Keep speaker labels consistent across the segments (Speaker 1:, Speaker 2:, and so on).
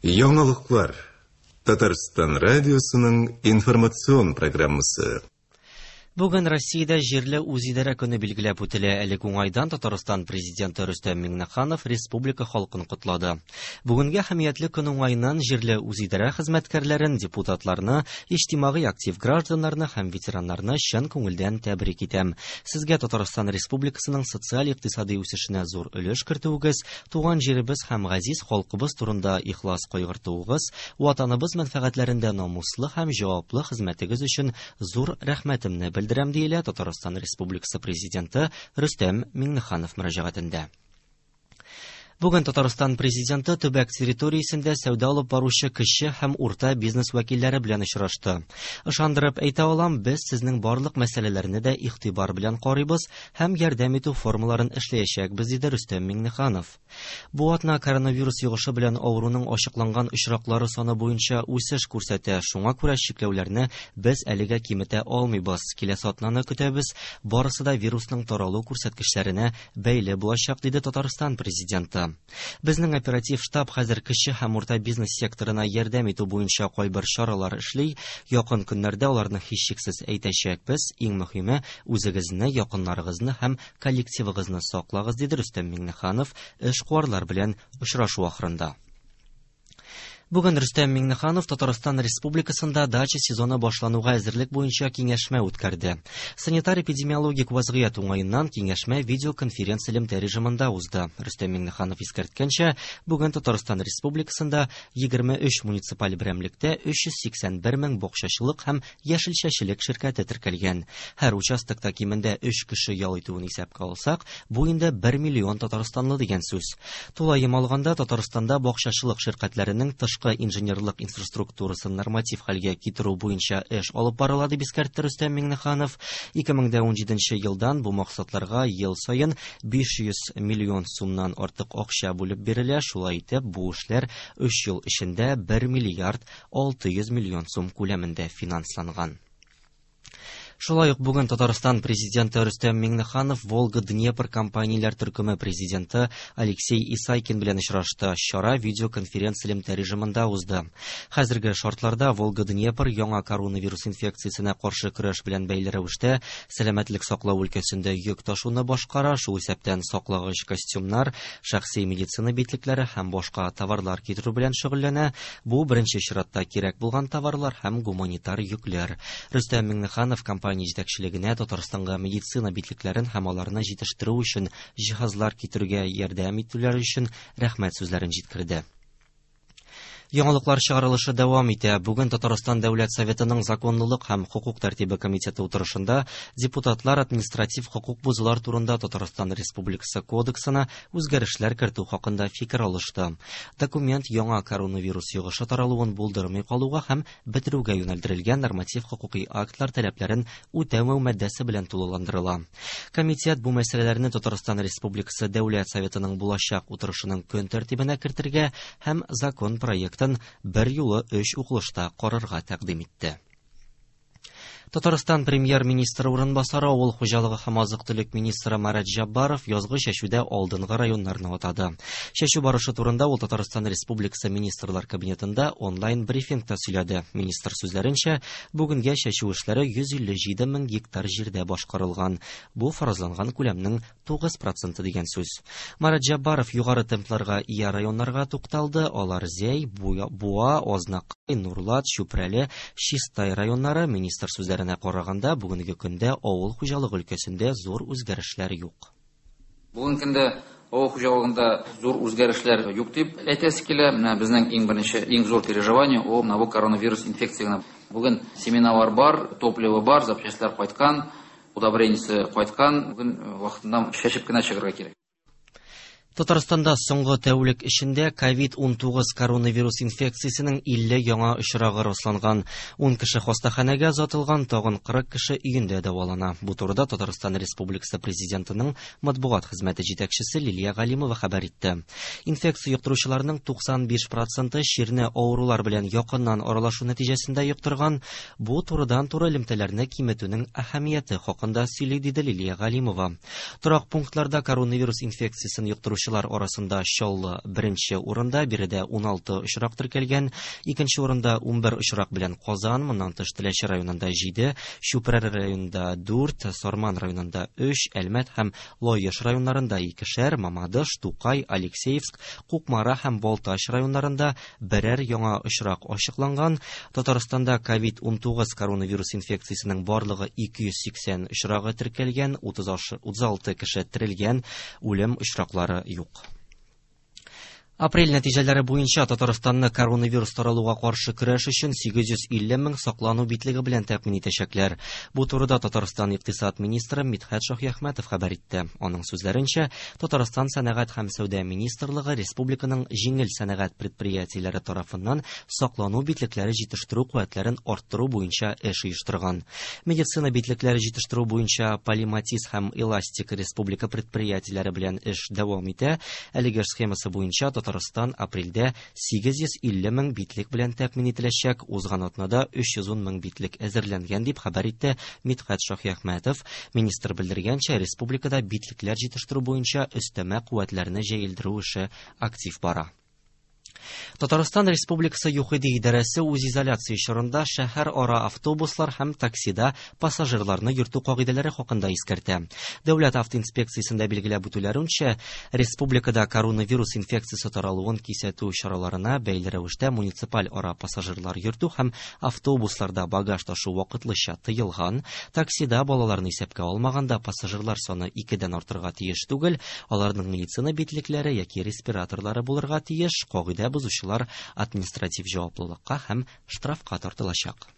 Speaker 1: Яңалыклар. Татарстан радиосының информацион программасы.
Speaker 2: Бүген Россиядә җирле үзидарә көне билгеләп үтелә. Әлеге уңайдан Татарстан президенты Рөстәм Миңнеханов республика халкын котлады. Бүгенге әһәмиятле көн уңаеннан җирле үзидарә хезмәткәрләрен, депутатларны, иҗтимагый актив гражданнарны һәм ветераннарны чын күңелдән тәбрик итәм. Сезгә Татарстан Республикасының социаль-икътисади үсешенә зур өлеш кертүегез, туган җиребез һәм газиз халкыбыз турында ихлас кайгыртуыгыз, Ватаныбыз мәнфәгатьләрендә намуслы һәм җаваплы хезмәтегез өчен зур рәхмәтемне белдерәм, диелә Татарстан Республикасы Президенты Рөстәм Миңнеханов мөрәҗәгатендә. Бүген Татарстан Президенты төбәк территориясендә сәүдә алып баручы кече һәм урта бизнес вәкилләре белән очрашты. Ышандырып әйтә алам, без сезнең барлык мәсьәләләрне дә игътибар белән карыйбыз һәм ярдәм итү формаларын эшләячәкбез, диде Рөстәм Миңнеханов. Бу атна коронавирус йогышы белән авыруның ачыкланган очраклары саны буенча үсеш күрсәтә, шуңа күрә чикләүләрне без әлегә киметә алмыйбыз. Киләсе атнаны көтәбез, барысы да вирусның таралу күрсәткечләренә бәйле булачак, диде Татарстан Президенты. Безнең оператив штаб хәзер кече һәм урта бизнес секторына ярдәм итү буенча кайбер чаралар эшли. Якын көннәрдә аларны һичшиксез әйтәчәкбез. Иң мөһиме, үзегезне, якыннарыгызны һәм Коллективыгызны саклагыз, диде Рөстәм Миңнеханов эшкуарлар белән очрашу ахырында. Бүген Рөстәм Миңнеханов Татарстан Республикасында дача сезоны башлануга әзерлек буенча киңәшмә үткәрде. Санитар-эпидемиологик вазгыять уңаеннан киңәшмә видеоконференц-элемтә режимында узды. Рөстәм Миңнеханов искәрткәнчә, бүген Татарстан Республикасында 23 муниципаль берәмлектә 381 мең бакчачылык һәм яшелчәчелек ширкәте теркәлгән. Һәр участокта кимендә өч кеше ял итүен исәпкә алсак, бу инде бер миллион татарстанлы дигән сүз. Тулаем алганда, Татарстанда бакчачылык ширкәтләренең тышкы инженерлык инфраструктурасын норматив хәлгә китерү буенча эш алып барыла, дип искәртте Рөстәм Миңнеханов. 2017 елдан бу максатларга ел саен 500 миллион сумнан артык акча бүлеп бирелә, шулай итеп, бу эшләр өч ел эчендә 1 миллиард 600 миллион сум күләмендә финансланган. Шулай ук бүген Татарстан президенты Рөстәм Миңнеханов Волга-Днепр компанияләр төркеме президенты Алексей Исайкин белән очрашты. Чара видеоконференц-элемтә режимында узды. Хәзерге шартларда Волга-Днепр яңа коронавирус инфекциясенә каршы көрәш белән бәйле рәвештә сәламәтлек саклау өлкәсендә йөк ташуны башкара, шул исәптән саклагыч костюмнар, шәхси медицина битлекләре һәм башка товарлар китерү белән шөгыльләнә. Бу беренче чиратта кирәк булган товарлар һәм гуманитар йөкләр. Рөстәм Миңнеханов компания җитәкчелегенә Татарстанга медицина битлекләрен һәм аларны җитештерү өчен җиһазлар китерүгә ярдәм итүләре өчен рәхмәт сүзләрен җиткерде. Яңалыклар чыгарылышы дәвам итә. Бүген Татарстан Дәүләт Советының законлылык һәм хокук тәртибе комитеты утырышында депутатлар административ хокук бозулар турында Татарстан Республикасы Кодексына үзгәрешләр кертү хакында фикер алышты. Документ яңа коронавирус йогышы таралуын булдырмый калуга һәм бетерүгә юнәлдерелгән норматив хокукый актлар таләпләрен үтәмәү маддәсе белән тулыландырыла. Комитет бу мәсьәләләрне Татарстан Республикасы Дәүләт Советының булачак утырышының көн тәртибенә кертергә һәм закон проектын берьюлы өч укылышта карарга тәкъдим итте. Татарстан премьер-министры урынбасары авыл хуҗалыгы һәм азык-төлек министры Марат Җаббаров язгы чәчүдә алдынгы районнарны атады. Чәчү барышы турында ул Татарстан Республикасы Министрлар Кабинетында онлайн-брифингта сөйләде. Министр сүзләренчә, бүгенгә чәчү эшләре 157 мең гектар җирдә башкарылган. Бу фаразланган күләмнең 9 проценты дигән сүз. Марат Җаббаров югары темпларга ия районнарга тукталды. Алар Зәй, Буа, Азнакай, Нурлат, Чүпрәле, Чистай районнары. Министр сүзләренә караганда, бүгенге көндә авыл хуҗалыгы өлкәсендә зур үзгәрешләр юк.
Speaker 3: Бүгенге көндә авыл хуҗалыгында зур үзгәрешләр юк дип әйтәсе килә. Менә безнең иң беренче, иң зур переживание ул менә бу коронавирус инфекция генә. Бүген семеналар бар, топливо бар, запчастьлар кайткан. Удобрениесе кайткан, бүген вакытында чәчеп кенә чыгарга кирәк.
Speaker 2: Татарстанда соңгы тәүлек эчендә COVID-19 коронавирус инфекциясенең 50 яңа очрагы расланган. 10 кеше хастаханәгә озатылган, тагын 40 кеше өендә дәвалана. Бу турыда Татарстан Республикасы Президентының матбугат хезмәте җитәкчесе Лилия Галимова хәбәр итте. Инфекция йоктыручыларның 95 проценты чирне авырулар белән якыннан аралашу нәтиҗәсендә йоктырган. Бу турыдан-туры элемтәләрне киметүнең әһәмияте хакында сөйли, диде Лилия Галимова. Торак пунктларда коронавирус инфекциясен йоктыручылар Авыручылар арасында Чаллы беренче урында, биредә 16 очрак теркәлгән. Икенче урында 11 очрак белән Казан, моннан тыш Теләче районында 7, Чүпрәле районында 4, Сарман районында 3, Әлмәт һәм Лаеш районнарында икешәр, Мамадыш, Тукай, Алексеевск, Кукмара һәм Балтач районнарында берәр яңа очрак ачыкланган. Татарстанда COVID-19 коронавирус инфекциясенең барлыгы 280 очрагы теркәлгән, 36 кеше терелгән, үлем очраклары юк. Апрель нәтиҗәләре буенча Татарстанны коронавирус таралуга каршы көрәш өчен 850 мең саклану битлеге белән тәэмин итәчәкләр. Бу турыда Татарстан икътисад министры Мидхәт Шаһиәхмәтов хәбәр итте. Аның сүзләренчә, Татарстан сәнәгать һәм сәүдә министрлыгы республиканың җиңел сәнәгать предприятиеләре тарафыннан саклану битлекләре җитештерү куәтләрен арттыру буенча эш оештырган. Медицина битлекләре җитештерү буенча Полиматиз һәм Эластик республика предприятиеләре белән эш дәвам итә. Әлеге эш схемасы буенча Татарстан апрельдә 850 мең битлек белән тәэмин ителәчәк. Узган атнада 310 мең битлек әзерләнгән, дип хәбәр итте Мидхәт Шаһиәхмәтов. Министр белдергәнчә, республикада битлекләр җитештерү буенча өстәмә куәтләрне җәелдерү эше актив бара. Татарстан Республикасы ЮХИДИ идарәсе үзизоляция чорында шәһәр ара автобуслар һәм таксида пассажирларны йөртү кагыйдәләре хакында искәртә. Дәүләт автоинспекциясендә билгеләп үтүләренчә, республикада коронавирус инфекциясе таралуын кисәтү чараларына бәйле рәвештә муниципаль ара пассажирлар йөртү һәм автобусларда багаж ташу вакытлыча тыелган. Таксида балаларны исәпкә алмаганда пассажирлар саны 2-дән артырга тиеш түгел, аларның медицина битлекләре яки респираторлары булырга тиеш. Кагыйдә бозучылар административ җаваплылыкка һәм штрафка тартылачак.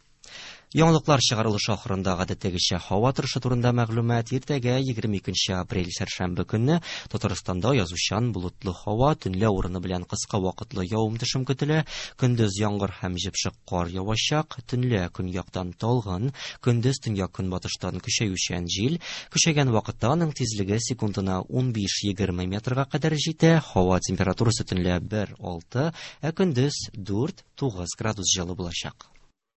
Speaker 2: Яңалыклар чыгарылышы ахырында гадәттәгечә һава торышы турында мәгълүмат. Иртәгә 22 апрель сәршәмбе көнне Татарстанда язучан болытлы һава, төнлә урыны белән кыска вакытлы явым-төшем көтелә. Көндез яңгыр һәм җепшек кар явачак, төнлә көньяктан талгын, көндез төньяк-көнбатыштан көчәючән җил. Көчәйгән вакытта аның тизлеге секундына 15-20 метрга кадәр җитә. Һава температурасы төнлә 1-6, ә көндез 4-9 градус җылы булачак.